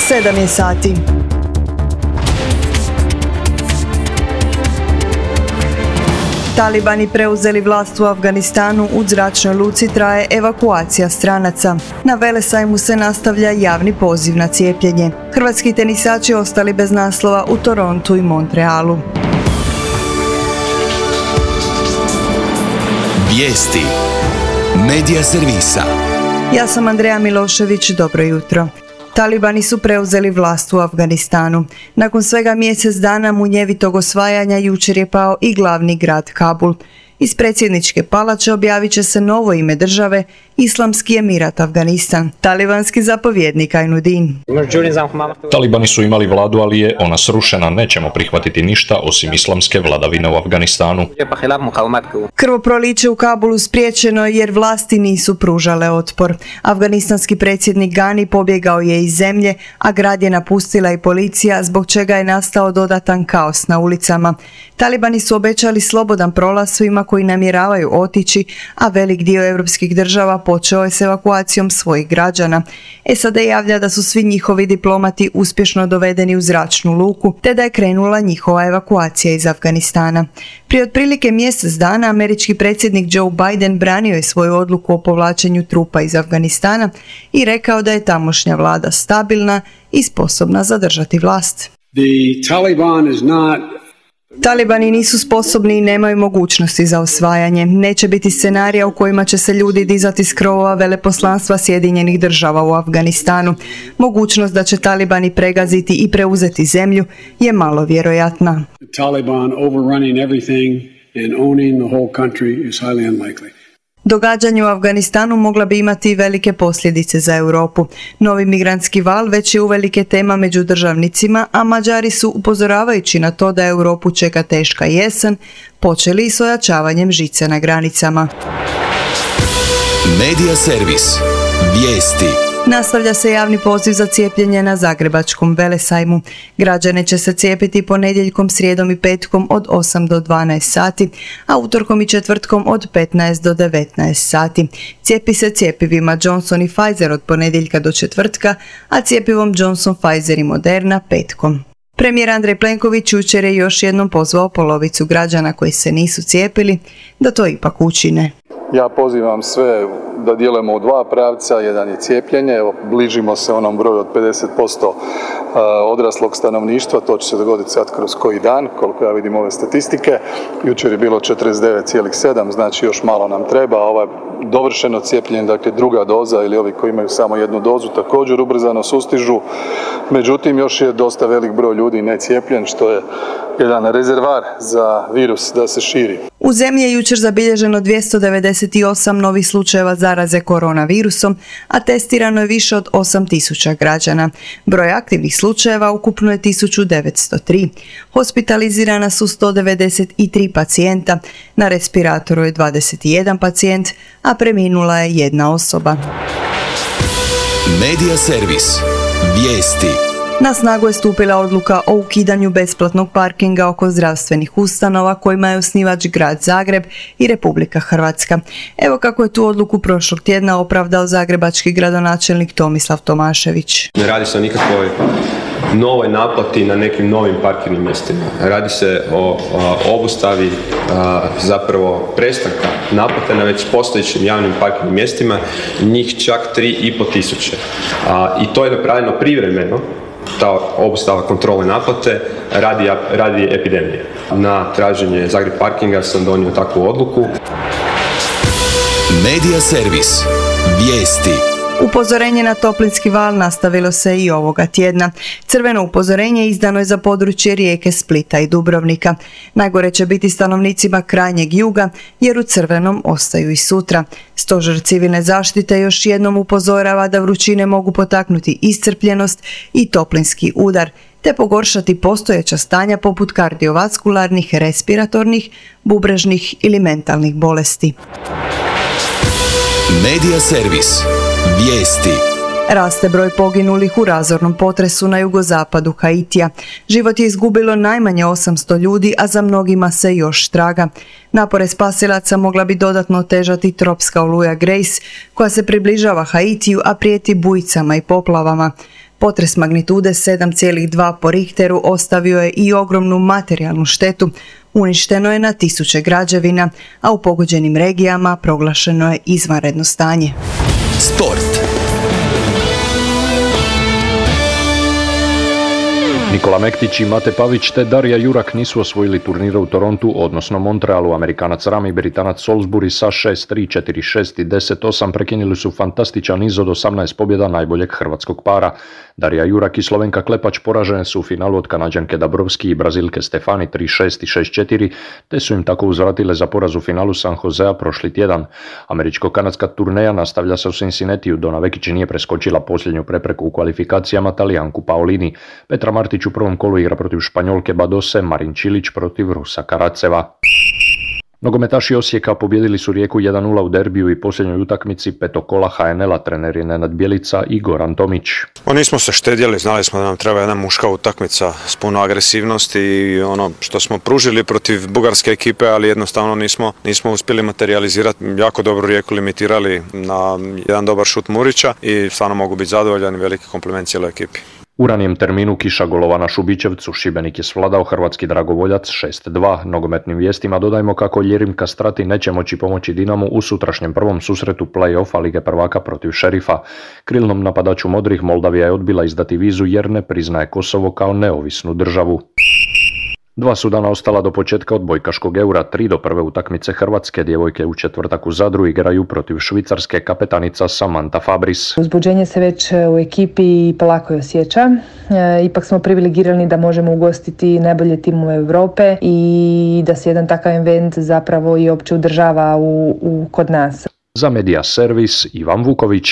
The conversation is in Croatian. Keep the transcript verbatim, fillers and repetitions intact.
sedam je sati. Talibani preuzeli vlast u Afganistanu, u zračnoj luci traje evakuacija stranaca. Na Velesajmu se nastavlja javni poziv na cijepljenje. Hrvatski tenisači ostali bez naslova u Torontu i Montrealu. Vijesti Medija servisa. Ja sam Andreja Milošević, dobro jutro. Talibani su preuzeli vlast u Afganistanu. Nakon svega mjesec dana munjevitog osvajanja jučer je pao i glavni grad Kabul. Iz predsjedničke palače objavit će se novo ime države, Islamski emirat Afganistan. Talibanski zapovjednik Ainuddin. Talibani su imali vladu, ali je ona srušena. Nećemo prihvatiti ništa osim islamske vladavine u Afganistanu. Krvoproliće u Kabulu spriječeno jer vlasti nisu pružale otpor. Afganistanski predsjednik Ghani pobjegao je iz zemlje, a grad je napustila i policija, zbog čega je nastao dodatan kaos na ulicama. Talibani su obećali slobodan prolaz svima koji namjeravaju otići, a velik dio europskih država počeo je s evakuacijom svojih građana. S A D javlja da su svi njihovi diplomati uspješno dovedeni u zračnu luku, te da je krenula njihova evakuacija iz Afganistana. Prije otprilike mjesec dana američki predsjednik Joe Biden branio je svoju odluku o povlačenju trupa iz Afganistana i rekao da je tamošnja vlada stabilna i sposobna zadržati vlast. The Taliban is not Talibani nisu sposobni i nemaju mogućnosti za osvajanje. Neće biti scenarija u kojima će se ljudi dizati s krovova veleposlanstva Sjedinjenih država u Afganistanu. Mogućnost da će Talibani pregaziti i preuzeti zemlju je malo vjerojatna. the Taliban overrunning everything and owning the whole country is highly unlikely. Događanje u Afganistanu mogla bi imati velike posljedice za Europu. Novi migrantski val već je uvelike tema među državnicima, a Mađari su, upozoravajući na to da Europu čeka teška jesen, počeli s ojačavanjem žice na granicama. Medija servis. Vijesti. Nastavlja se javni poziv za cijepljenje na zagrebačkom Velesajmu. Građane će se cijepiti ponedjeljkom, srijedom i petkom od osam do dvanaest sati, a utorkom i četvrtkom od petnaest do devetnaest sati. Cijepi se cjepivima Johnson i Pfizer od ponedjeljka do četvrtka, a cijepivom Johnson, Pfizer i Moderna petkom. Premijer Andrej Plenković jučer je još jednom pozvao polovicu građana koji se nisu cijepili da to ipak učine. Ja pozivam sve da djelujemo u dva pravca, jedan je cijepljenje, evo bližimo se onom broju od pedeset posto odraslog stanovništva, to će se dogoditi sad kroz koji dan, koliko ja vidim ove statistike. Jučer je bilo četrdeset devet zarez sedam, znači još malo nam treba, ovo dovršeno cijepljenje, dakle druga doza ili ovi koji imaju samo jednu dozu također ubrzano sustižu, međutim još je dosta velik broj ljudi necijepljen, što je jedan rezervar za virus da se širi. U zemlji je jučer zabilježeno dvjesto devedeset osam novih slučajeva zaraze koronavirusom, a testirano je više od osam tisuća građana. Broj aktivnih slučajeva ukupno je tisuću devetsto tri. Hospitalizirana su sto devedeset tri pacijenta, na respiratoru je dvadeset jedan pacijent, a preminula je jedna osoba. Medija servis. Vijesti. Na snagu je stupila odluka o ukidanju besplatnog parkinga oko zdravstvenih ustanova kojima je osnivač grad Zagreb i Republika Hrvatska. Evo kako je tu odluku prošlog tjedna opravdao zagrebački gradonačelnik Tomislav Tomašević. Ne radi se o nikakvoj novoj naplati na nekim novim parkirnim mjestima. Radi se o, o obustavi a, zapravo prestanka naplate na već postojećim javnim parkirnim mjestima, njih čak tri i pol tisuće. A, I to je napravljeno privremeno, ta obustava kontrole naplate radi, radi epidemije. Na traženje Zagreb Parkinga sam donio takvu odluku. Medija servis. Vijesti. Upozorenje na toplinski val nastavilo se i ovoga tjedna. Crveno upozorenje izdano je za područje Rijeke, Splita i Dubrovnika. Najgore će biti stanovnicima krajnjeg juga, jer u crvenom ostaju i sutra. Stožer civilne zaštite još jednom upozorava da vrućine mogu potaknuti iscrpljenost i toplinski udar, te pogoršati postojeća stanja poput kardiovaskularnih, respiratornih, bubrežnih ili mentalnih bolesti. Medija servis. Vijesti. Raste broj poginulih u razornom potresu na jugozapadu Haitija. Život je izgubilo najmanje osamsto ljudi, a za mnogima se još traga. Napore spasilaca mogla bi dodatno otežati tropska oluja Grace, koja se približava Haitiju, a prijeti bujicama i poplavama. Potres magnitude sedam zarez dva po Richteru ostavio je i ogromnu materijalnu štetu. Uništeno je na tisuće građevina, a u pogođenim regijama proglašeno je izvanredno stanje. Sport. Nikola Mektić i Mate Pavić te Darija Jurak nisu osvojili turnire u Torontu, odnosno Montrealu. Amerikanac Rami, Britanac Salisbury sa šest tri, četiri šest i deset osam prekinuli su fantastičan niz od osamnaest pobjeda najboljeg hrvatskog para. Darija Jurak i Slovenka Klepač poražene su u finalu od Kanađanke Dabrowski i Brazilke Stefani tri šest i šest četiri, te su im tako uzvratile za poraz u finalu San Josea prošli tjedan. Američko-kanadska turneja nastavlja se u Cincinnatiju. Dona Vekić nije preskočila posljednju prepreku u kvalifikacijama, Talijanku Paolini. Petra Martić u prvom kolu igra protiv Španjolke Badose, Marin Čilić protiv Rusa Karaceva. Nogometaši Osijeka pobijedili su Rijeku jedan nula u derbiju i posljednjoj utakmici petog kola ha en el-a. Trener je Nenad Bjelica i Goran Tomić. O, nismo se štedjeli, znali smo da nam treba jedna muška utakmica s puno agresivnosti i ono što smo pružili protiv bugarske ekipe, ali jednostavno nismo, nismo uspjeli materializirati. Jako dobro Rijeku limitirali na jedan dobar šut Murića i stvarno mogu biti zadovoljan i veliki kompliment cijeloj ekipi. U ranijem terminu kiša golova na Šubićevcu, Šibenik je svladao hrvatski dragovoljac šest dva. Nogometnim vijestima dodajmo kako Ljerim Kastrati neće moći pomoći Dinamu u sutrašnjem prvom susretu play-offa Lige prvaka protiv Šerifa. Krilnom napadaču modrih Moldavija je odbila izdati vizu jer ne priznaje Kosovo kao neovisnu državu. Dva su dana ostala do početka odbojkaškog eura, tri do prve utakmice Hrvatske. Djevojke u četvrtak u Zadru igraju protiv Švicarske, kapetanica Samantha Fabris. Uzbuđenje se već u ekipi polako je osjeća. E, ipak smo privilegirani da možemo ugostiti najbolje timove Europe i da se jedan takav event zapravo i opće održava u, u, kod nas. Za Media Servis Ivan Vuković.